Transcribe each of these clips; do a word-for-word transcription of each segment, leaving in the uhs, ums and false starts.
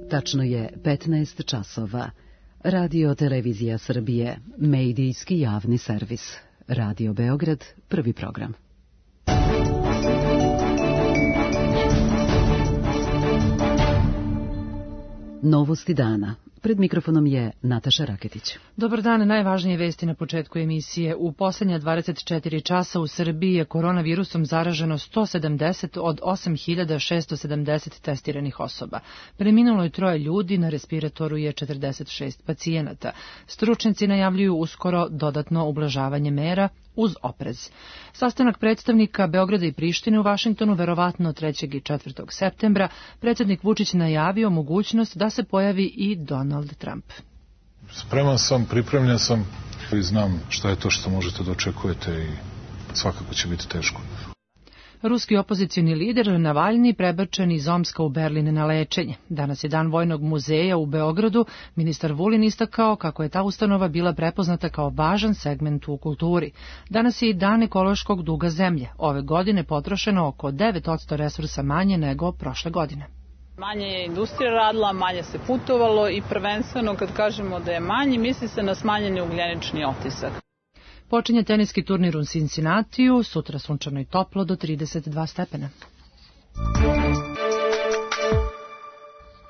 Tačno je petnaest časova. Radio Televizija Srbije, medijski javni servis. Radio Beograd, prvi program. Novosti dana. Pred mikrofonom je Nataša Raketić. Dobar dan, najvažnije vesti na početku emisije. U posljednja dvadeset četiri časa u Srbiji je koronavirusom zaraženo sto sedamdeset od osam hiljada šesto sedamdeset testiranih osoba. Preminulo je troje ljudi, na respiratoru je četrdeset šest pacijenata. Stručnjaci najavljuju uskoro dodatno ublažavanje mera uz oprez. Sastanak predstavnika Beograda i Prištine u Vašingtonu verovatno trećeg i četvrtog septembra. Predsjednik Vučić najavio mogućnost da se pojavi i Donald Trump. Spreman sam, pripremljen sam i znam šta je to što možete da očekujete i svakako će biti teško. Ruski opozicioni lider Navalni prebačen iz Omska u Berlin na lečenje. Danas je dan Vojnog muzeja u Beogradu. Ministar Vulin istakao kako je ta ustanova bila prepoznata kao važan segment u kulturi. Danas je i dan ekološkog duga zemlje. Ove godine potrošeno oko devet posto resursa manje nego prošle godine. Manje je industrija radila, manje se putovalo i prvenstveno kad kažemo da je manje, misli se na smanjeni ugljenični otisak. Počinje teniski turnir u Cincinnatiju, sutra sunčano i toplo do trideset dva stepena.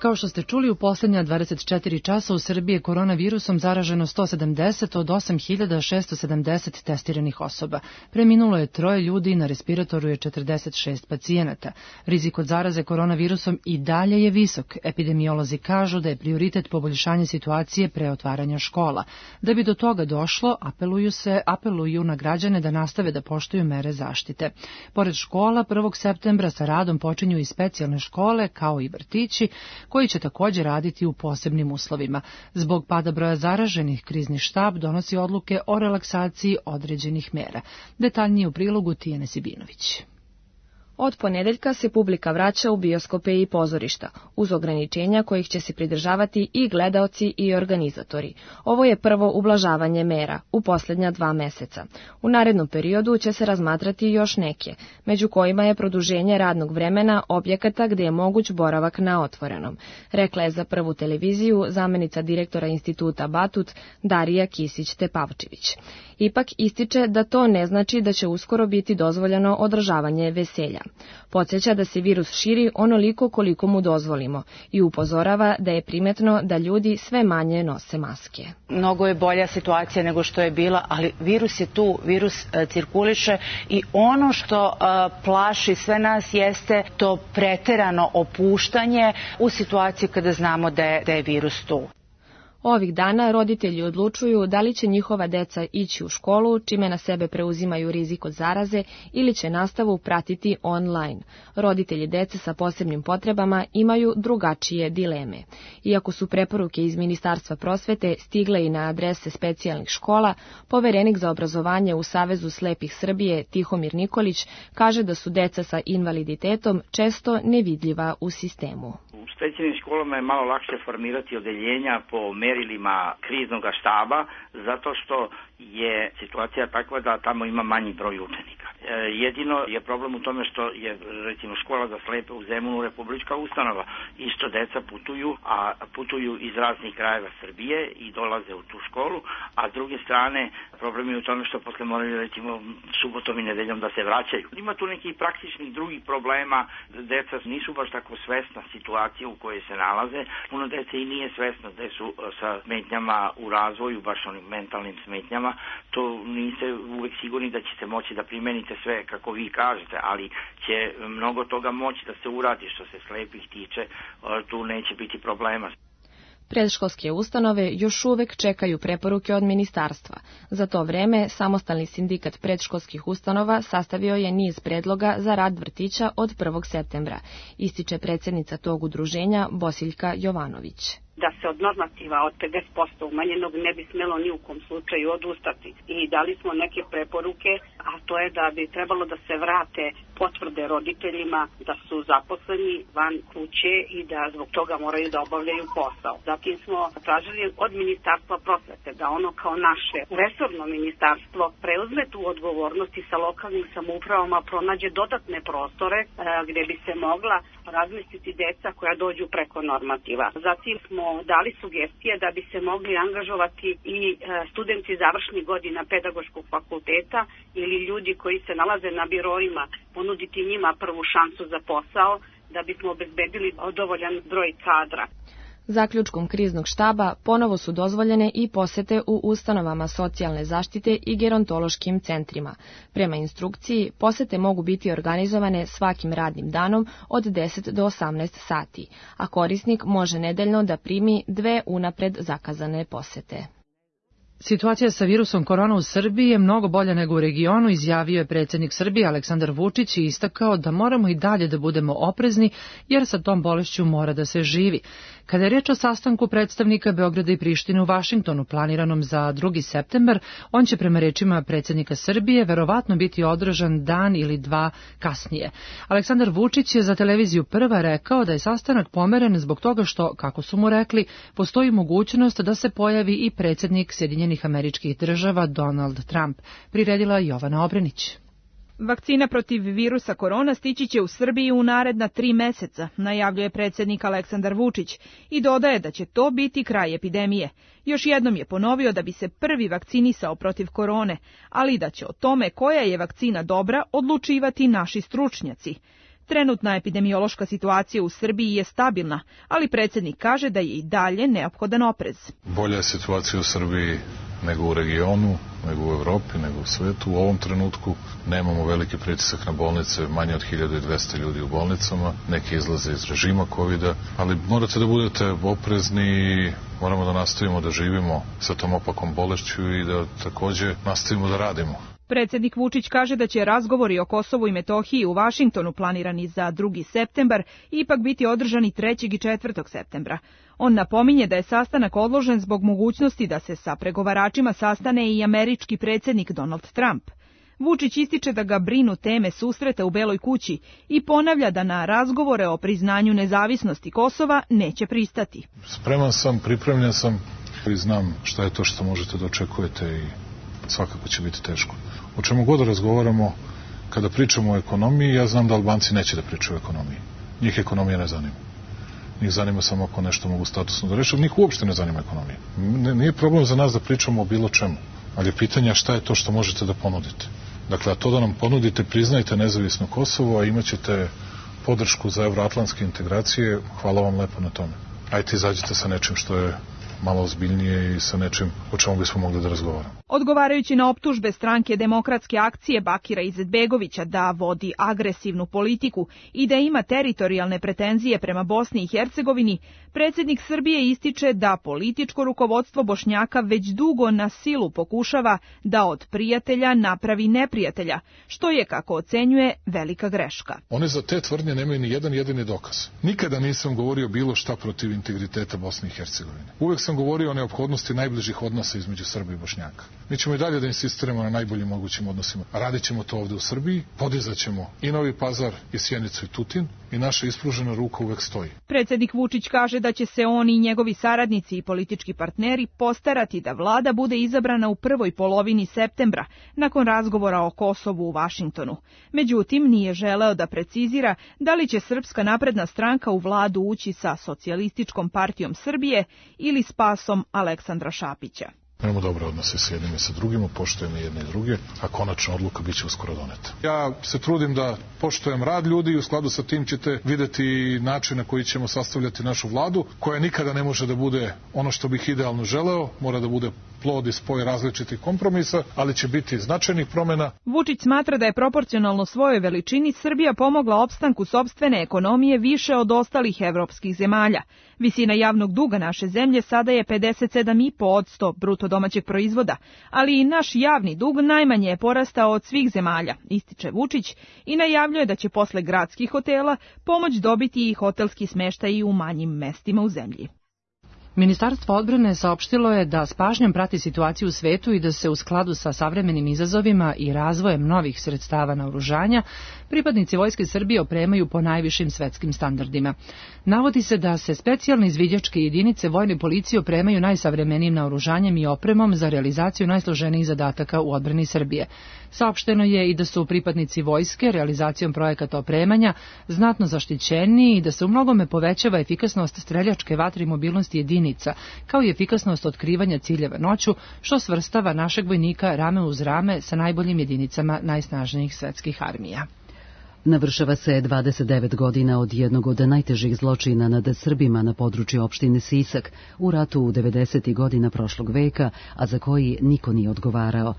Kao što ste čuli, u posljednja dvadeset četiri časa u Srbiji je koronavirusom zaraženo sto sedamdeset od osam hiljada šesto sedamdeset testiranih osoba. Preminulo je troje ljudi, na respiratoru je četrdeset šest pacijenata. Rizik od zaraze koronavirusom i dalje je visok. Epidemiolozi kažu da je prioritet poboljšanje situacije pre otvaranja škola. Da bi do toga došlo, apeluju se, apeluju na građane da nastave da poštuju mere zaštite. Pored škola, prvog septembra sa radom počinju i specijalne škole, kao i vrtići, koji će također raditi u posebnim uslovima. Zbog pada broja zaraženih, krizni štab donosi odluke o relaksaciji određenih mera. Detaljnije u prilogu Tijane Sibinović. Od ponedeljka se publika vraća u bioskope i pozorišta, uz ograničenja kojih će se pridržavati i gledaoci i organizatori. Ovo je prvo ublažavanje mera u posljednja dva meseca. U narednom periodu će se razmatrati još neke, među kojima je produženje radnog vremena objekata gdje je moguć boravak na otvorenom, rekla je za Prvu televiziju zamenica direktora instituta Batut Darija Kisić-Tepavčević. Ipak ističe da to ne znači da će uskoro biti dozvoljeno održavanje veselja. Podsjeća da se virus širi onoliko koliko mu dozvolimo i upozorava da je primetno da ljudi sve manje nose maske. Mnogo je bolja situacija nego što je bila, ali virus je tu, virus uh, cirkuliše i ono što uh, plaši sve nas jeste to preterano opuštanje u situaciji kada znamo da je, da je virus tu. Ovih dana roditelji odlučuju da li će njihova deca ići u školu, čime na sebe preuzimaju rizik od zaraze, ili će nastavu pratiti online. Roditelji dece sa posebnim potrebama imaju drugačije dileme. Iako su preporuke iz Ministarstva prosvete stigle i na adrese specijalnih škola, poverenik za obrazovanje u Savezu slepih Srbije Tihomir Nikolić kaže da su deca sa invaliditetom često nevidljiva u sistemu. U specijalnim školama je malo lakše formirati odeljenja po merilima kriznog štaba, zato što je situacija takva da tamo ima manji broj učenika. E, jedino je problem u tome što je, recimo, škola za slepe u Zemunu republička ustanova. Isto deca putuju, a putuju iz raznih krajeva Srbije i dolaze u tu školu, a s druge strane problem je u tome što posle moraju, recimo, subotom i nedeljom da se vraćaju. Ima tu nekih praktičnih drugih problema, deca nisu baš tako svesna situacije u kojoj se nalaze. Puno dece i nije svesno da su sa smetnjama u razvoju, baš onim mentalnim smetnjama. To niste uvek sigurni da ćete moći da primenite sve kako vi kažete, ali će mnogo toga moći da se uradi. Što se slepih tiče, tu neće biti problema. Predškolske ustanove još uvek čekaju preporuke od ministarstva. Za to vreme, Samostalni sindikat predškolskih ustanova sastavio je niz predloga za rad vrtića od prvog septembra, ističe predsjednica tog udruženja Bosiljka Jovanović. Da se od normativa od pedeset posto umanjenog ne bi smelo ni u kom slučaju odustati. I dali smo neke preporuke, a to je da bi trebalo da se vrate potvrde roditeljima da su zaposleni van kuće i da zbog toga moraju da obavljaju posao. Zatim smo tražili od Ministarstva prosvete da ono kao naše resorno ministarstvo preuzme tu odgovornost i sa lokalnim samoupravama pronađe dodatne prostore e, gdje bi se mogla razmisliti deca koja dođu preko normativa. Zatim smo dali sugestije da bi se mogli angažovati i studenti završnih godina pedagoškog fakulteta ili ljudi koji se nalaze na biroima, ponuditi njima prvu šansu za posao da bismo obezbedili dovoljan broj kadra. Zaključkom kriznog štaba ponovo su dozvoljene i posete u ustanovama socijalne zaštite i gerontološkim centrima. Prema instrukciji, posete mogu biti organizovane svakim radnim danom od deset do osamnaest sati, a korisnik može nedeljno da primi dve unapred zakazane posete. Situacija sa virusom korona u Srbiji je mnogo bolja nego u regionu, izjavio je predsjednik Srbije Aleksandar Vučić i istakao da moramo i dalje da budemo oprezni jer sa tom bolešću mora da se živi. Kada je reč o sastanku predstavnika Beograda i Prištine u Vašingtonu planiranom za drugi septembar, on će prema rečima predsjednika Srbije verovatno biti održan dan ili dva kasnije. Aleksandar Vučić je za televiziju Prva rekao da je sastanak pomeren zbog toga što, kako su mu rekli, postoji mogućnost da se pojavi i predsjednik Sjedinjenih Američkih Država Donald Trump, priredila Jovana Obrenić. Vakcina protiv virusa korona stići će u Srbiji u naredna tri meseca, najavljuje predsjednik Aleksandar Vučić i dodaje da će to biti kraj epidemije. Još jednom je ponovio da bi se prvi vakcinisao protiv korone, ali da će o tome koja je vakcina dobra odlučivati naši stručnjaci. Trenutna epidemiološka situacija u Srbiji je stabilna, ali predsjednik kaže da je i dalje neophodan oprez. Bolja je situacija u Srbiji nego u regionu, nego u Evropi, nego u svetu. U ovom trenutku nemamo veliki pritisak na bolnice, manje od hiljadu dvesta ljudi u bolnicama, neki izlaze iz režima kovida, ali morate da budete oprezni i moramo da nastavimo da živimo sa tom opakom bolešću i da takođe nastavimo da radimo. Predsjednik Vučić kaže da će razgovori o Kosovu i Metohiji u Vašingtonu planirani za drugi septembar ipak biti održani trećeg i četvrtog septembra. On napominje da je sastanak odložen zbog mogućnosti da se sa pregovaračima sastane i američki predsjednik Donald Trump. Vučić ističe da ga brinu teme susreta u Beloj kući i ponavlja da na razgovore o priznanju nezavisnosti Kosova neće pristati. Spreman sam, pripremljen sam i znam šta je to što možete da očekujete i svakako će biti teško. O čemu god razgovaramo, kada pričamo o ekonomiji, ja znam da Albanci neće da pričaju o ekonomiji. Njih ekonomija ne zanima. Njih zanima samo ako nešto mogu statusno da reše, ali njih uopšte ne zanima ekonomija. Nije problem za nas da pričamo o bilo čemu, ali je pitanje šta je to što možete da ponudite. Dakle, a to da nam ponudite, priznajte nezavisno Kosovo, a imaćete podršku za evroatlantske integracije, hvala vam lepo na tome. Ajte, izađite sa nečim što je malo ozbiljnije i sa nečim o čemu bismo mogli da razgovaramo. Odgovarajući na optužbe stranke Demokratske akcije Bakira Izetbegovića da vodi agresivnu politiku i da ima teritorijalne pretenzije prema Bosni i Hercegovini, predsjednik Srbije ističe da političko rukovodstvo Bošnjaka već dugo na silu pokušava da od prijatelja napravi neprijatelja, što je, kako ocenjuje, velika greška. One za te tvrdnje nemaju ni jedan jedini dokaz. Nikada nisam govorio bilo šta protiv integriteta Bosne i Hercegovine. Uvek sam govorio o neophodnosti najbližih odnosa između Srba i Bošnjaka. Mi ćemo i dalje da insistiramo na najboljim mogućim odnosima. Radit ćemo to ovde u Srbiji, podizat ćemo i Novi Pazar, i Sjenicu, i Tutin, i naša ispružena ruka uvek stoji. Predsjednik Vučić kaže da će se on i njegovi saradnici i politički partneri postarati da vlada bude izabrana u prvoj polovini septembra, nakon razgovora o Kosovu u Vašingtonu. Međutim, nije želeo da precizira da li će Srpska napredna stranka u vladu ući sa Socijalističkom partijom Srbije ili s pasom Aleksandra Šapića. Imamo dobre odnose s jednim i sa drugima, poštujemo jedne i druge, a konačna odluka bit će uskoro doneta. Ja se trudim da poštujem rad ljudi i u skladu sa tim ćete videti način na koji ćemo sastavljati našu vladu, koja nikada ne može da bude ono što bih idealno želeo, mora da bude plod i spoj različitih kompromisa, ali će biti značajnih promjena. Vučić smatra da je proporcionalno svojoj veličini Srbija pomogla opstanku sopstvene ekonomije više od ostalih evropskih zemalja. Visina javnog duga naše zemlje sada je pedeset sedam zarez pet posto bruto domaćeg proizvoda, ali i naš javni dug najmanje je porastao od svih zemalja, ističe Vučić i najavljuje da će posle gradskih hotela pomoć dobiti i hotelski smeštaj u manjim mestima u zemlji. Ministarstvo odbrane saopštilo je da s pažnjom prati situaciju u svetu i da se u skladu sa savremenim izazovima i razvojem novih sredstava naoružanja pripadnici Vojske Srbije opremaju po najvišim svetskim standardima. Navodi se da se specijalne izviđačke jedinice vojne policije opremaju najsavremenijim naoružanjem i opremom za realizaciju najsloženijih zadataka u odbrani Srbije. Saopšteno je i da su pripadnici vojske realizacijom projekata opremanja znatno zaštićeni i da se u mnogome povećava efikasnost streljačke vatre i mobilnosti jedinica, kao i efikasnost otkrivanja ciljeva noću, što svrstava našeg vojnika rame uz rame sa najboljim jedinicama najsnažnijih svetskih armija. Navršava se dvadeset devet godina od jednog od najtežih zločina nad Srbima na području opštine Sisak u ratu u devedesetih godina prošlog veka, a za koji niko nije odgovarao,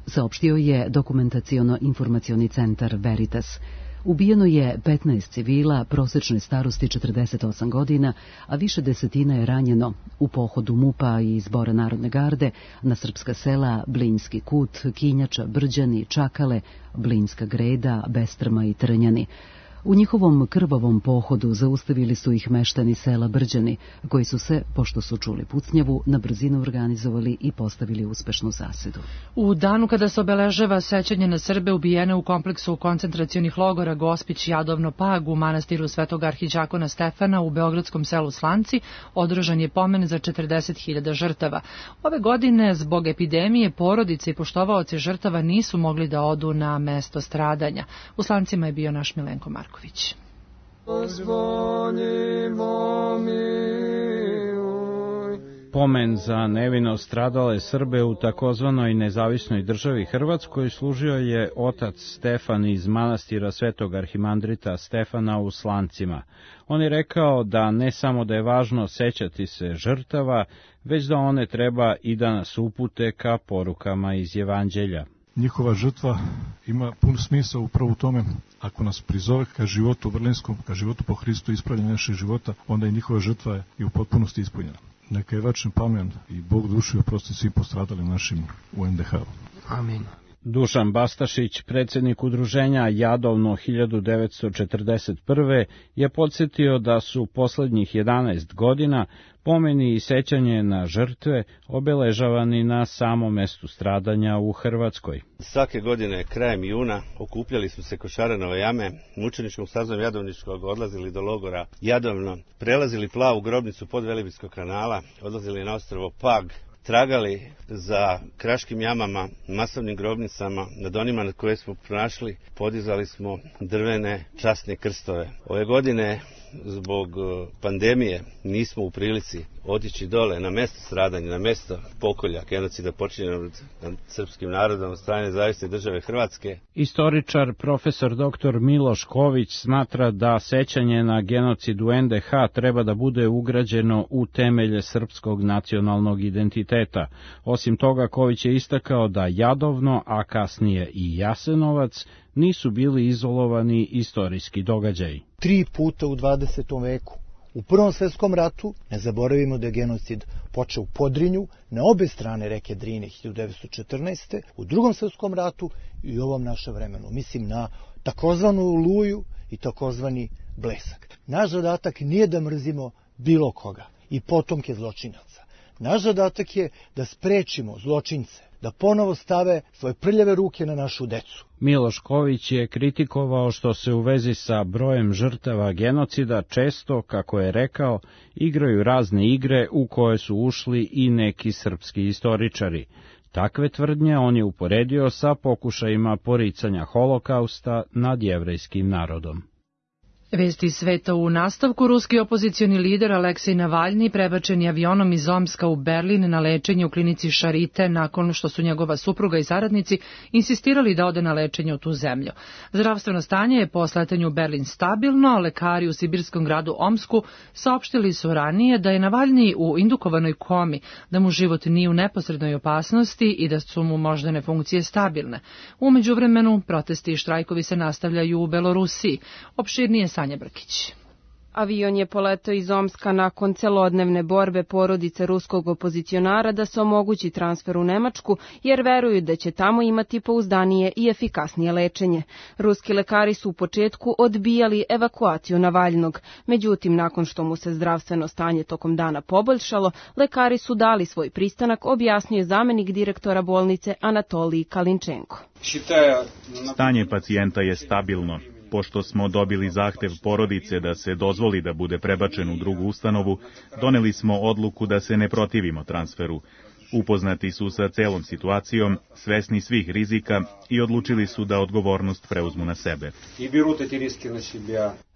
saopštio je dokumentaciono-informacioni centar Veritas. Ubijeno je petnaest civila, prosečne starosti četrdeset osam godina, a više desetina je ranjeno u pohodu MUP-a i Zbora Narodne garde na srpska sela Blinski Kut, Kinjača, Brđani, Čakale, Blinska Greda, Bestrma i Trnjani. U njihovom krvavom pohodu zaustavili su ih meštani sela Brđani, koji su se, pošto su čuli pucnjavu, na brzinu organizovali i postavili uspešnu zasedu. U danu kada se obeležava sećanje na Srbe ubijene u kompleksu koncentracionih logora Gospić, Jadovno, Pag u manastiru Svetog arhiđakona Stefana u beogradskom selu Slanci, održan je pomen za četrdeset hiljada žrtava. Ove godine, zbog epidemije, porodice i poštovaoci žrtava nisu mogli da odu na mesto stradanja. U Slancima je bio naš Milenko Marko. Pomen za nevino stradale Srbe u takozvanoj nezavisnoj državi Hrvatskoj služio je otac Stefan iz manastira Svetog arhimandrita Stefana u Slancima. On je rekao da ne samo da je važno sećati se žrtava, već da one treba i da nas upute ka porukama iz Evanđelja. Njihova žrtva ima pun smisao upravo u tome, ako nas prizove ka životu berlinskom, ka životu po Hristu, ispravljanje našeg života, onda i njihova žrtva je i u potpunosti ispunjena. Neka je večni pamen i Bog duši oprosti svim postradalim našim u en de ha. Amin. Dušan Bastašić, predsjednik udruženja Jadovno hiljadu devetsto četrdeset prve, je podsjetio da su poslednjih jedanaest godina pomeni i sećanje na žrtve obeležavani na samom mestu stradanja u Hrvatskoj. Svake godine, krajem juna, okupljali smo se kod Šaranove jame, mučeničkom stazom Jadovničkog odlazili do logora Jadovno, prelazili plavu grobnicu pod Velebitskog kanala, odlazili na ostrvo Pag, tragali za kraškim jamama, masovnim grobnicama, nad onima nad koje smo pronašli, podizali smo drvene časne krstove. Ove godine, zbog pandemije, nismo u prilici otići dole na mesto stradanja, na mesto pokolja, genocida počinjenog nad srpskim narodom od strane Nezavisne države Hrvatske. Istoričar profesor doktor Miloš Ković smatra da sećanje na genocid u en de ha treba da bude ugrađeno u temelje srpskog nacionalnog identiteta. Osim toga, Ković je istakao da Jadovno, a kasnije i Jasenovac, nisu bili izolovani istorijski događaji. Tri puta u dvadesetom veku. U Prvom svetskom ratu, ne zaboravimo da je genocid počeo u Podrinju, na obe strane reke Drine hiljadu devetsto četrnaeste. U Drugom svetskom ratu i u ovom našem vremenu. Mislim na takozvanu Oluju i takozvani Blesak. Naš zadatak nije da mrzimo bilo koga i potomke zločinaca. Naš zadatak je da sprečimo zločince, da ponovo stave svoje prljave ruke na našu decu. Miloš Ković je kritikovao što se u vezi sa brojem žrtava genocida često, kako je rekao, igraju razne igre u koje su ušli i neki srpski istoričari. Takve tvrdnje on je uporedio sa pokušajima poricanja holokausta nad jevrejskim narodom. Vesti sveta u nastavku. Ruski opozicioni lider Aleksej Navalni prebačen je avionom iz Omska u Berlin na lečenje u klinici Šarite nakon što su njegova supruga i saradnici insistirali da ode na lečenje u tu zemlju. Zdravstveno stanje je po sletanju u Berlin stabilno, a lekari u sibirskom gradu Omsku saopštili su ranije da je Navalni u indukovanoj komi, da mu život nije u neposrednoj opasnosti i da su mu moždane funkcije stabilne. U međuvremenu protesti i štrajkovi se nastavljaju u Belorusiji. Opširnije Sanja Brkić. Avion je poletao iz Omska nakon celodnevne borbe porodice ruskog opozicionara da se omogući transfer u Nemačku, jer veruju da će tamo imati pouzdanije i efikasnije lečenje. Ruski lekari su u početku odbijali evakuaciju Navalnog, međutim, nakon što mu se zdravstveno stanje tokom dana poboljšalo, lekari su dali svoj pristanak, objasnio je zamenik direktora bolnice Anatolij Kalinčenko. Stanje pacijenta je stabilno. Pošto smo dobili zahtev porodice da se dozvoli da bude prebačen u drugu ustanovu, doneli smo odluku da se ne protivimo transferu. Upoznati su sa celom situacijom, svesni svih rizika i odlučili su da odgovornost preuzmu na sebe.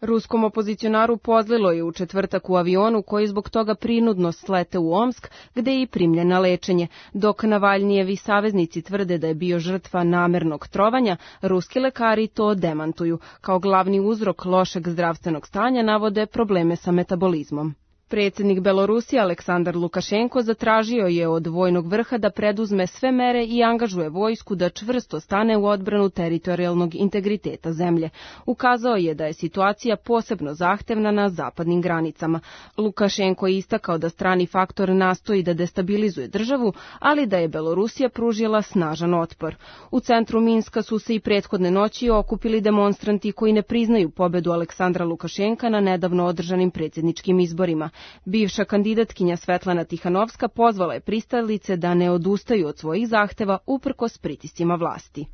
Ruskom opozicionaru pozlilo je u četvrtak u avionu koji zbog toga prinudno slete u Omsk, gde je i primljen na lečenje. Dok Navalnijevi saveznici tvrde da je bio žrtva namernog trovanja, ruski lekari to demantuju. Kao glavni uzrok lošeg zdravstvenog stanja navode probleme sa metabolizmom. Predsjednik Belorusije Aleksandar Lukašenko zatražio je od vojnog vrha da preduzme sve mere i angažuje vojsku da čvrsto stane u odbranu teritorijalnog integriteta zemlje. Ukazao je da je situacija posebno zahtevna na zapadnim granicama. Lukašenko je istakao da strani faktor nastoji da destabilizuje državu, ali da je Belorusija pružila snažan otpor. U centru Minska su se i prethodne noći okupili demonstranti koji ne priznaju pobedu Aleksandra Lukašenka na nedavno održanim predsjedničkim izborima. Bivša kandidatkinja Svetlana Tihanovska pozvala je pristalice da ne odustaju od svojih zahteva uprkos pritiscima vlasti.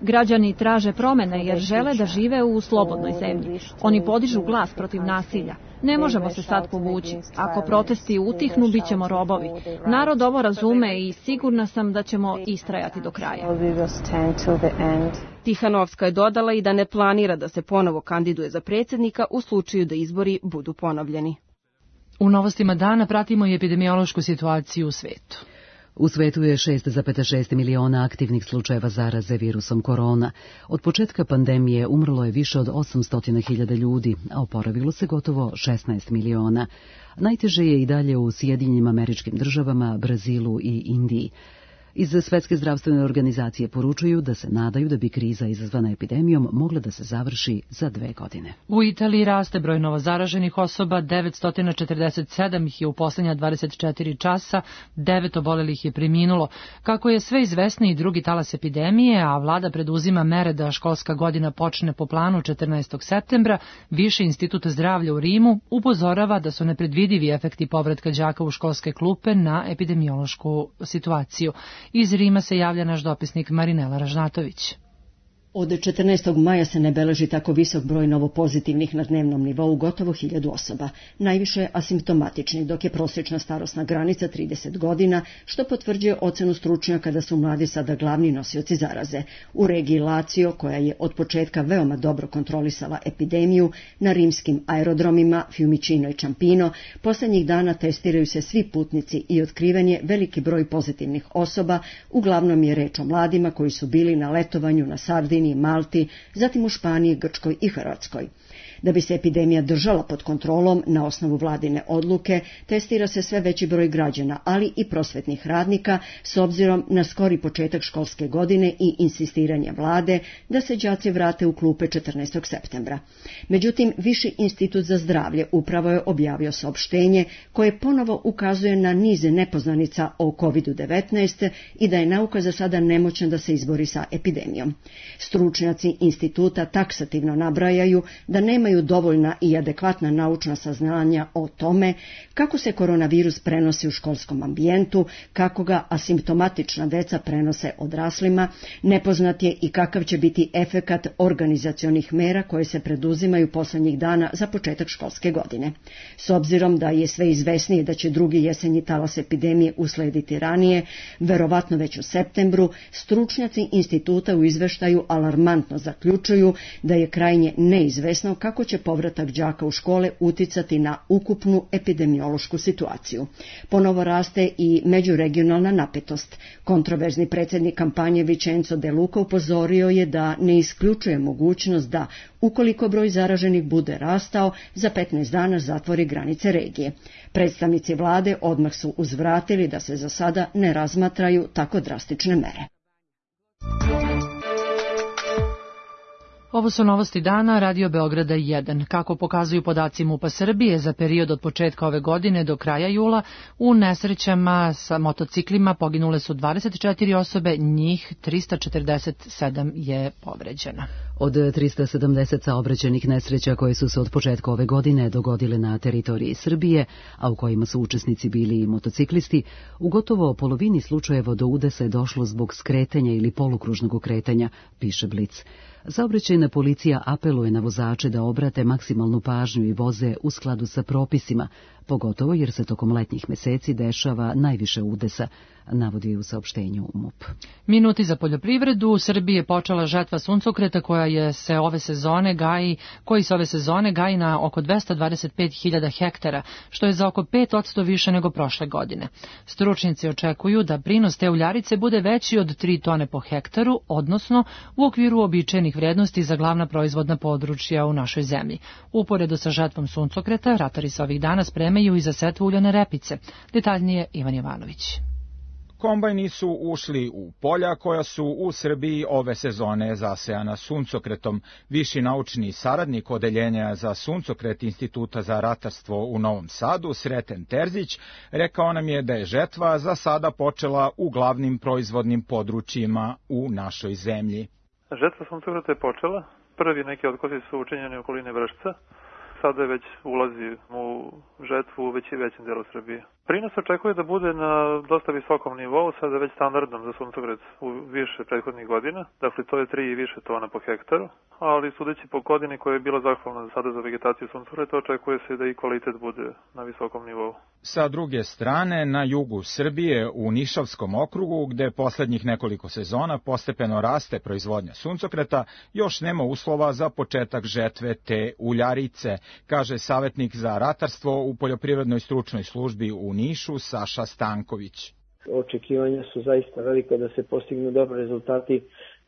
Građani traže promene jer žele da žive u slobodnoj zemlji. Oni podižu glas protiv nasilja. Ne možemo se sad povući. Ako protesti utihnu, bit ćemo robovi. Narod ovo razume i sigurna sam da ćemo istrajati do kraja. Tihanovska je dodala i da ne planira da se ponovo kandiduje za predsjednika u slučaju da izbori budu ponovljeni. U novostima dana pratimo i epidemiološku situaciju u svetu. U svetu je šest zarez šest miliona aktivnih slučajeva zaraze virusom korona. Od početka pandemije umrlo je više od osamsto hiljada ljudi, a oporavilo se gotovo šesnaest miliona. Najteže je i dalje u Sjedinjenim Američkim Državama, Brazilu i Indiji. Iz Svetske zdravstvene organizacije poručuju da se nadaju da bi kriza izazvana epidemijom mogla da se završi za dve godine. U Italiji raste broj novozaraženih osoba, devetsto četrdeset sedam ih je u poslednja dvadeset četiri časa, devet obolelih je preminulo. Kako je sve izvesniji drugi talas epidemije, a vlada preduzima mere da školska godina počne po planu četrnaestog septembra, Viši institut zdravlja u Rimu upozorava da su nepredvidivi efekti povratka đaka u školske klupe na epidemiološku situaciju. Iz Rima se javlja naš dopisnik Marinela Ražnatović. Od četrnaestog maja se ne beleži tako visok broj novopozitivnih na dnevnom nivou, gotovo hiljadu osoba. Najviše asimptomatičnih, dok je prosječna starosna granica trideset godina, što potvrđuje ocenu stručnjaka da su mladi sada glavni nosioci zaraze. U regiji Lazio, koja je od početka veoma dobro kontrolisala epidemiju, na rimskim aerodromima Fiumicino i Ciampino poslednjih dana testiraju se svi putnici i otkriven je veliki broj pozitivnih osoba, uglavnom je reč o mladima koji su bili na letovanju na Sardiniji, Malti, zatim u Španiji, Grčkoj i Hrvatskoj. Da bi se epidemija držala pod kontrolom, na osnovu vladine odluke, testira se sve veći broj građana, ali i prosvetnih radnika, s obzirom na skori početak školske godine i insistiranje vlade da se đaci vrate u klupe četrnaestog septembra. Međutim, Viši institut za zdravlje upravo je objavio saopštenje koje ponovo ukazuje na niz nepoznanica o kovid devetnaest i da je nauka za sada nemoćna da se izbori sa epidemijom. Stručnjaci instituta taksativno nabrajaju da nema imaju dovoljna i adekvatna naučna saznanja o tome kako se koronavirus prenosi u školskom ambijentu, kako ga asimptomatična deca prenose odraslima, nepoznat je i kakav će biti efekat organizacionih mera koje se preduzimaju poslednjih dana za početak školske godine. S obzirom da je sve izvesnije da će drugi jesenji talas epidemije uslediti ranije, verovatno već u septembru, stručnjaci instituta u izveštaju alarmantno zaključuju da je krajnje neizvesno kako će povratak đaka u škole uticati na ukupnu epidemiološku situaciju. Ponovo raste i međuregionalna napetost. Kontroverzni predsjednik kampanje Vincenzo De Luca upozorio je da ne isključuje mogućnost da, ukoliko broj zaraženih bude rastao, za petnaest dana zatvori granice regije. Predstavnici vlade odmah su uzvratili da se za sada ne razmatraju tako drastične mere. Ovo su novosti dana Radio Beograda jedan. Kako pokazuju podaci MUP-a Srbije, za period od početka ove godine do kraja jula u nesrećama sa motociklima poginule su dvadeset četiri osobe, njih trista četrdeset sedam je povređena. Od trista sedamdeset saobraćajnih nesreća koje su se od početka ove godine dogodile na teritoriji Srbije, a u kojima su učesnici bili i motociklisti, u gotovo polovini slučajeva do udesa je došlo zbog skretanja ili polukružnog kretanja, piše Blic. Saobraćajna policija apeluje na vozače da obrate maksimalnu pažnju i voze u skladu sa propisima, pogotovo jer se tokom letnjih meseci dešava najviše udesa, navodi u saopštenju MUP. Minuti za poljoprivredu. U Srbiji je počela žetva suncokreta koja je se ove sezone gaji, koji se ove sezone gaji na oko dvesta dvadeset pet hiljada hektara, što je za oko pet posto više nego prošle godine. Stručnjaci očekuju da prinos te uljarice bude veći od tri tone po hektaru, odnosno u okviru običajnih vrednosti za glavna proizvodna područja u našoj zemlji. Uporedo sa žetvom suncokreta, ratari se ovih dana spremaju i za setvu uljane repice. Detaljnije Ivan Jovanović. Kombajni su ušli u polja koja su u Srbiji ove sezone zasejana suncokretom. Viši naučni saradnik Odeljenja za suncokret Instituta za ratarstvo u Novom Sadu, Sreten Terzić, rekao nam je da je žetva za sada počela u glavnim proizvodnim područjima u našoj zemlji. Žetva suncokreta je počela. Prvi neki otkosi su učinjeni u okolini Vršca. Sada već ulazi u žetvu u veći većem delu Srbije. Prinos očekuje da bude na dosta visokom nivou, sada već standardnom za suncokret u više prethodnih godina. Dakle, to je tri i više tona po hektaru, ali sudeći po godini koja je bila zahvalna sada za vegetaciju suncokreta, očekuje se da i kvalitet bude na visokom nivou. Sa druge strane, na jugu Srbije, u Nišavskom okrugu, gde poslednjih nekoliko sezona postepeno raste proizvodnja suncokreta, još nema uslova za početak žetve te uljarice, kaže savjetnik za ratarstvo u poljoprivrednoj stručnoj službi u Nišu Saša Stanković. Očekivanja su zaista velika da se postignu dobri rezultati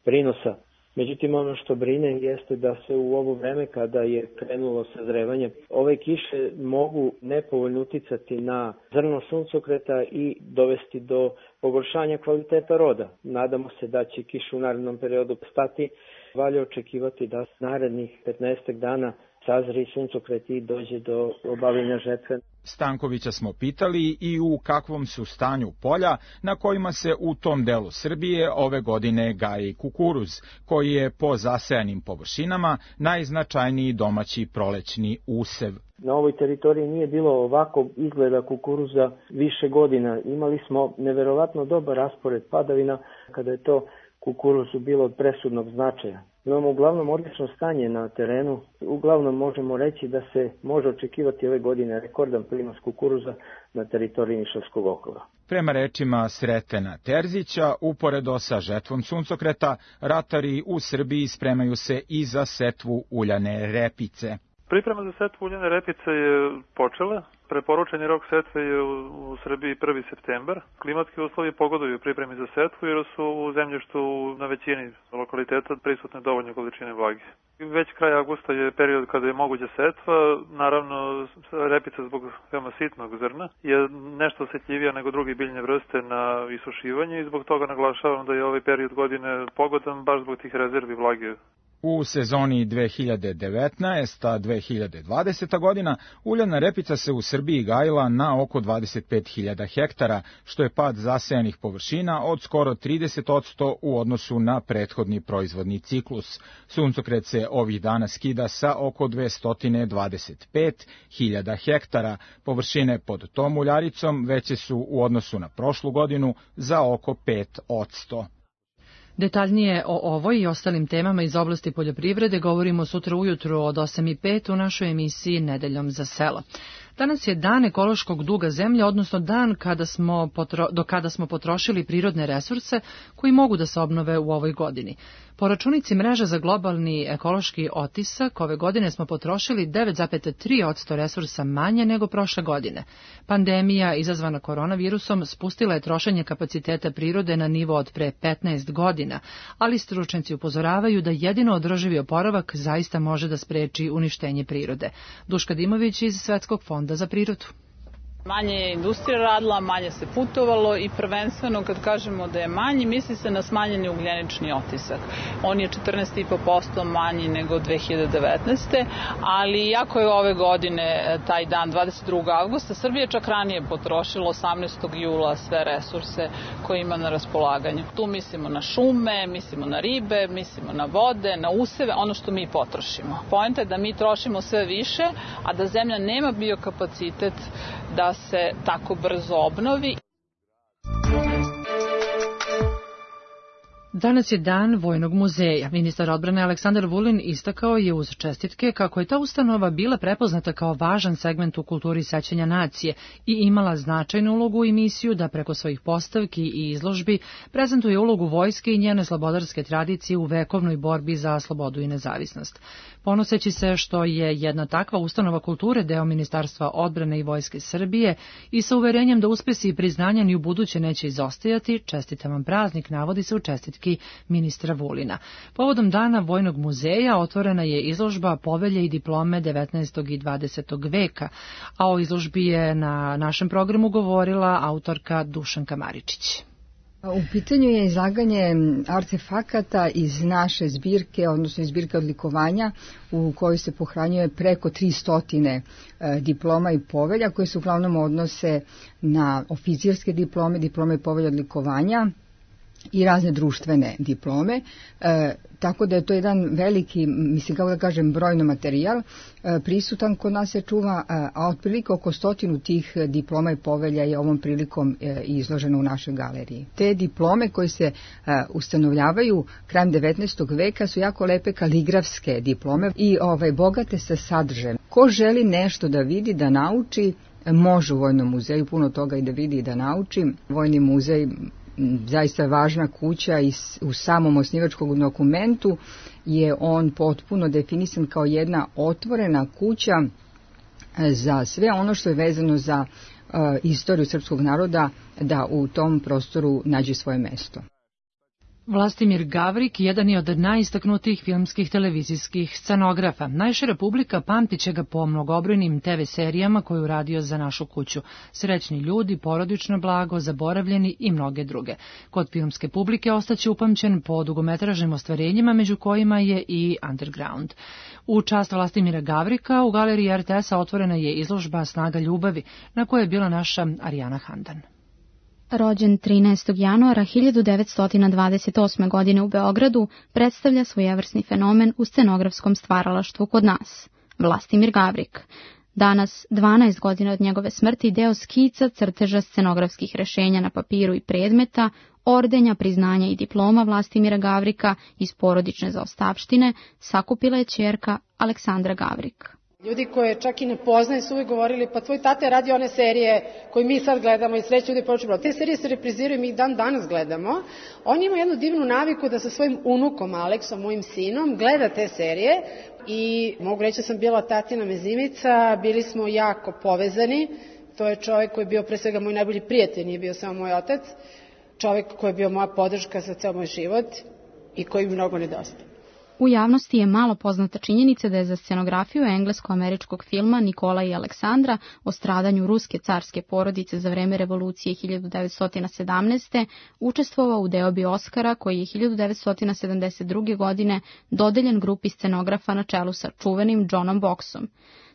prinosa. Međutim, ono što brine jeste da se u ovo vreme kada je krenulo sazrevanje, ove kiše mogu nepovoljno uticati na zrno suncokreta i dovesti do pogoršanja kvaliteta roda. Nadamo se da će kiše u narednom periodu stati. Valja očekivati da narednih petnaestak dana sazri suncokret i dođe do obavljanja žetve. Stankovića smo pitali i u kakvom su stanju polja na kojima se u tom delu Srbije ove godine gaji kukuruz, koji je po zasejanim površinama najznačajniji domaći prolećni usev. Na ovoj teritoriji nije bilo ovako izgleda kukuruza više godina. Imali smo neverovatno dobar raspored padavina kada je to kukuruzu bilo od presudnog značaja. Imamo uglavnom odlično stanje na terenu. Uglavnom možemo reći da se može očekivati ove godine rekordan prinos kukuruza na teritoriji Nišavskog okruga. Prema rečima Sretena Terzića, uporedo sa žetvom suncokreta, ratari u Srbiji spremaju se i za setvu uljane repice. Priprema za setvu uljane repice je počela. Preporučeni rok setve je u, u Srbiji prvi septembar. Klimatski uslovi pogoduju pripremi za setvu jer su u zemljištu na većini lokaliteta prisutne dovoljne količine vlage. Već kraj avgusta je period kada je moguća setva. Naravno, repica zbog veoma sitnog zrna je nešto osjetljivija nego drugi biljne vrste na isušivanje i zbog toga naglašavam da je ovaj period godine pogodan baš zbog tih rezervi vlage. U sezoni dve hiljade devetnaesta dve hiljade dvadeseta godina uljana repica se u Srbiji gajila na oko dvadeset pet hiljada hektara, što je pad zasejanih površina od skoro trideset posto u odnosu na prethodni proizvodni ciklus. Suncokret se ovih dana skida sa oko dvesta dvadeset pet hiljada hektara. Površine pod tom uljaricom veće su u odnosu na prošlu godinu za oko pet posto. Detaljnije o ovoj i ostalim temama iz oblasti poljoprivrede govorimo sutra ujutru od osam i pet u našoj emisiji Nedeljom za selo. Danas je dan ekološkog duga zemlje, odnosno dan kada smo potro, do kada smo potrošili prirodne resurse koji mogu da se obnove u ovoj godini. Po računici mreže za globalni ekološki otisak, ove godine smo potrošili devet zarez tri posto resursa manje nego prošle godine. Pandemija izazvana koronavirusom spustila je trošenje kapaciteta prirode na nivo od pre petnaest godina, ali stručnjaci upozoravaju da jedino održivi oporavak zaista može da spreči uništenje prirode. Duška Dimović iz Svetskog fonda za prirodu. Manje je industrija radila, manje se putovalo i prvenstveno kad kažemo da je manji, misli se na smanjeni ugljenični otisak. On je četrnaest i po posto manji nego dve hiljade devetnaeste. ali iako je ove godine taj dan dvadeset drugog avgusta, Srbija čak ranije potrošila osamnaestog jula sve resurse koje ima na raspolaganju. Tu mislimo na šume, mislimo na ribe, mislimo na vode, na useve, ono što mi potrošimo. Poenta je da mi trošimo sve više, a da zemlja nema biokapacitet da se tako brzo obnovi. Danas je dan Vojnog muzeja. Ministar odbrane Aleksandar Vulin istakao je uz čestitke kako je ta ustanova bila prepoznata kao važan segment u kulturi sećanja nacije i imala značajnu ulogu i misiju da preko svojih postavki i izložbi prezentuje ulogu vojske i njene slobodarske tradicije u vekovnoj borbi za slobodu i nezavisnost. Ponoseći se što je jedna takva ustanova kulture deo Ministarstva odbrane i Vojske Srbije i sa uverenjem da uspesi i priznanja ni u buduće neće izostajati, čestitam vam praznik, navodi se u čestitki ministra Vulina. Povodom dana Vojnog muzeja otvorena je izložba Povelje i diplome devetnaestog i dvadesetog veka, a o izložbi je na našem programu govorila autorka Dušanka Maričić. U pitanju je izlaganje artefakata iz naše zbirke, odnosno iz zbirke odlikovanja u kojoj se pohranjuje preko tristo diploma i povelja koje se uglavnom odnose na oficirske diplome, diplome i povelje odlikovanja i razne društvene diplome, e, tako da je to jedan veliki, mislim kako da kažem, brojno materijal, e, prisutan kod nas se čuva, a, a otprilike oko stotinu tih diploma i povelja je ovom prilikom e, izloženo u našoj galeriji. Te diplome koje se e, ustanovljavaju krajem devetnaestog veka su jako lepe kaligrafske diplome i ovaj, bogate sa sadržajem. Ko želi nešto da vidi, da nauči, može u Vojnom muzeju puno toga i da vidi i da nauči. Vojni muzej zaista važna kuća i u samom osnivačkom dokumentu je on potpuno definisan kao jedna otvorena kuća za sve ono što je vezano za uh, istoriju srpskog naroda da u tom prostoru nađe svoje mesto. Vlastimir Gavrik jedan je od najistaknutijih filmskih televizijskih scenografa. Najšira publika pamtit će ga po mnogobrojnim te ve serijama koje je uradio za našu kuću. Srećni ljudi, porodično blago, zaboravljeni i mnoge druge. Kod filmske publike ostaće upamćen po dugometražnim ostvarenjima, među kojima je i Underground. U čast Vlastimira Gavrika u galeriji er te es-a otvorena je izložba Snaga ljubavi, na kojoj je bila naša Arijana Handan. Rođen trinaestog januara hiljadu devetsto dvadeset osme. godine u Beogradu, predstavlja svojevrsni fenomen u scenografskom stvaralaštvu kod nas, Vlastimir Gavrik. Danas, dvanaest godina od njegove smrti, deo skica, crteža, scenografskih rešenja na papiru i predmeta, ordenja, priznanja i diploma Vlastimira Gavrika iz porodične zaostavštine sakupila je ćerka Aleksandra Gavrik. Ljudi koje čak i ne poznaju su uvijek govorili, pa tvoj tata je radio one serije koje mi sad gledamo i sreće ljudi počeo. Te serije se repriziraju i mi ih dan danas gledamo. On ima jednu divnu naviku da sa svojim unukom Aleksom, mojim sinom, gleda te serije i mogu reći da sam bila tatina mezimica, bili smo jako povezani. To je čovjek koji je bio pre svega moj najbolji prijatelj, nije bio samo moj otac. Čovjek koji je bio moja podrška za ceo moj život i koji mi mnogo nedostaje. U javnosti je malo poznata činjenica da je za scenografiju englesko-američkog filma Nikola i Aleksandra o stradanju ruske carske porodice za vreme revolucije hiljadu devetsto sedamnaeste. učestvovao u deobi Oskara koji je hiljadu devetsto sedamdeset druge. godine dodeljen grupi scenografa na čelu sa čuvenim Johnom Boxom.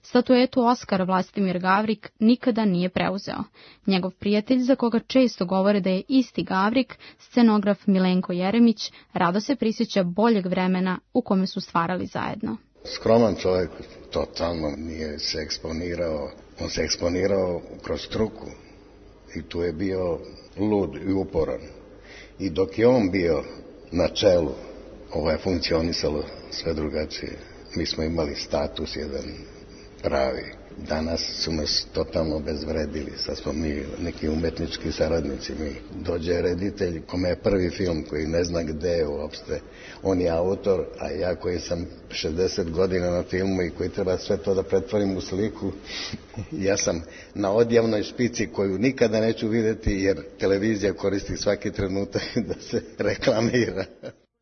Statuetu Oskar Vlastimir Gavrik nikada nije preuzeo. Njegov prijatelj, za koga često govore da je isti Gavrik, scenograf Milenko Jeremić, rado se prisjeća boljeg vremena u kome su stvarali zajedno. Skroman čovjek, totalno nije se eksponirao. On se eksponirao kroz struku i tu je bio lud i uporan. I dok je on bio na čelu, ovo je funkcionisalo sve drugačije. Mi smo imali status jedan pravi. Danas su nas totalno obezvredili, sad smo mi neki umetnički saradnici. Mi dođe reditelj kome je prvi film koji ne zna gde je uopšte, on je autor, a ja koji sam šezdeset godina na filmu i koji treba sve to da pretvorim u sliku, ja sam na odjavnoj špici koju nikada neću vidjeti jer televizija koristi svaki trenutak da se reklamira.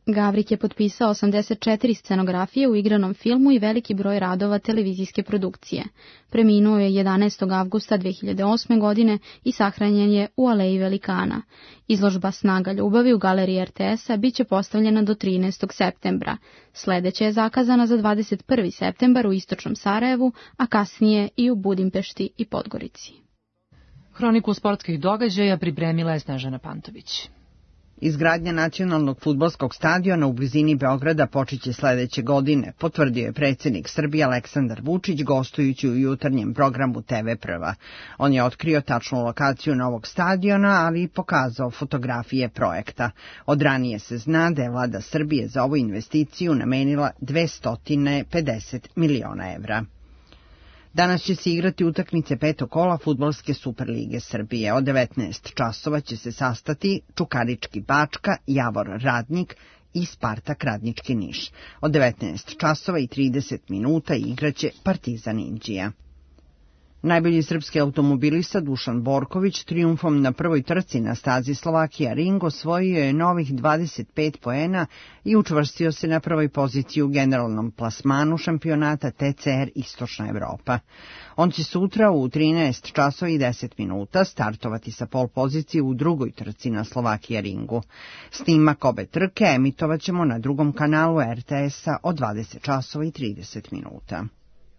Gavrik je potpisao osamdeset četiri scenografije u igranom filmu i veliki broj radova televizijske produkcije. Preminuo je jedanaestog avgusta dve hiljade osme. godine i sahranjen je u Aleji Velikana. Izložba Snaga ljubavi u galeriji er te es-a biće postavljena do trinaestog septembra. Sledeća je zakazana za dvadeset prvi septembar u istočnom Sarajevu, a kasnije i u Budimpešti i Podgorici. Hroniku sportskih događaja pripremila je Snežana Pantović. Izgradnja nacionalnog fudbalskog stadiona u blizini Beograda počeće sledeće godine, potvrdio je predsjednik Srbije Aleksandar Vučić gostujući u jutarnjem programu te ve Prva. On je otkrio tačnu lokaciju novog stadiona, ali i pokazao fotografije projekta. Od ranije se zna da je vlada Srbije za ovu investiciju namenila dvesta pedeset miliona evra. Danas će se igrati utakmice petog kola Fudbalske Superlige Srbije. Od devetnaest časova će se sastati Čukarički Bačka, Javor Radnik i Spartak Radnički Niš. Od devetnaest časova i trideset minuta igraće Partizan Inđija. Najbolji srpski automobilista Dušan Borković trijumfom na prvoj trci na stazi Slovakija Ring osvojio je novih dvadeset pet poena i učvrstio se na prvoj poziciji u generalnom plasmanu šampionata te ce er Istočna Evropa. On će sutra u trinaest časova i deset minuta startovati sa pol pozicije u drugoj trci na Slovakija Ringu. Snimak obe trke emitovaćemo na drugom kanalu er te es-a od dvadeset časova i trideset minuta.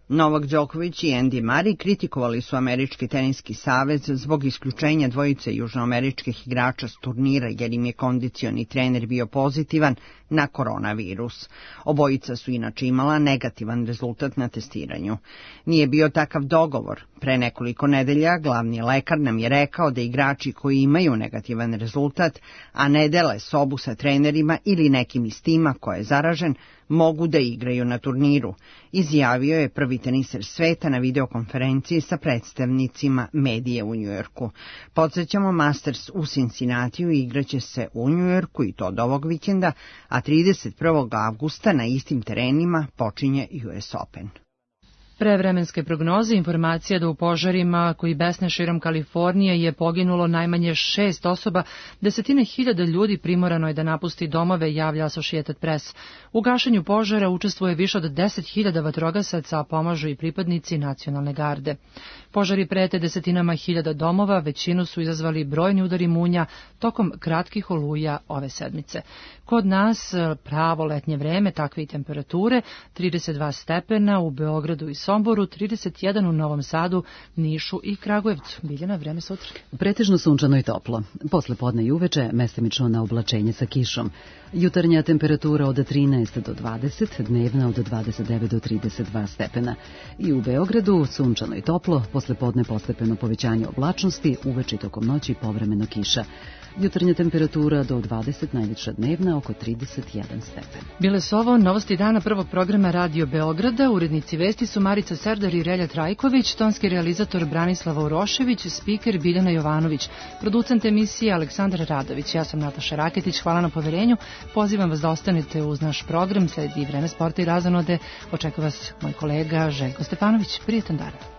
Novak Đoković i Andy Murray kritikovali su Američki teniski savez zbog isključenja dvojice južnoameričkih igrača s turnira jer im je kondicioni trener bio pozitivan na koronavirus. Obojica su inače imala negativan rezultat na testiranju. Nije bio takav dogovor. Pre nekoliko nedelja glavni lekar nam je rekao da igrači koji imaju negativan rezultat, a ne dele sobu sa trenerima ili nekim iz tima ko je zaražen, mogu da igraju na turniru, izjavio je prvi teniser sveta na videokonferenciji sa predstavnicima medije u Njujorku. Podsjećamo, Masters u Cincinnatiju igraće se u Njujorku i to od ovog vikenda, a trideset prvog avgusta na istim terenima počinje ju es Open. Prevremenske prognoze informacija da u požarima koji besne širom Kalifornije je poginulo najmanje šest osoba, desetine hiljada ljudi primorano je da napusti domove, javlja Associated Press. U gašenju požara učestvuje više od deset hiljada vatrogasaca, a pomažu i pripadnici nacionalne garde. Požari prete desetinama hiljada domova, većinu su izazvali brojni udari munja tokom kratkih oluja ove sedmice. Kod nas pravo letnje vreme, takve i temperature, trideset dva stepena u Beogradu i Somboru, trideset jedan u Novom Sadu, Nišu i Kragujevcu. Biljana, vreme sutra. Pretežno sunčano i toplo. Posle podne i uveče mestimično na oblačenje sa kišom. Jutarnja temperatura od trinaest do dvadeset, dnevna od dvadeset devet do trideset dva stepena. I u Beogradu sunčano i toplo, posle podne postepeno povećanje oblačnosti, uveče i tokom noći povremeno kiša. Jutarnja temperatura do dvadeset, najviša dnevna oko trideset jedan stepen. Bile su ovo novosti dana prvog programa Radio Beograda. Urednici vesti su Marica Serdar i Relja Trajković, tonski realizator Branislava Urošević, spiker Biljana Jovanović, producent emisije Aleksandar Radović. Ja sam Nataša Raketić, hvala na poverenju. Pozivam vas da ostanete uz naš program, sledi vreme sporta i razonode. Očekuje vas moj kolega Željko Stefanović. Prijetan dan.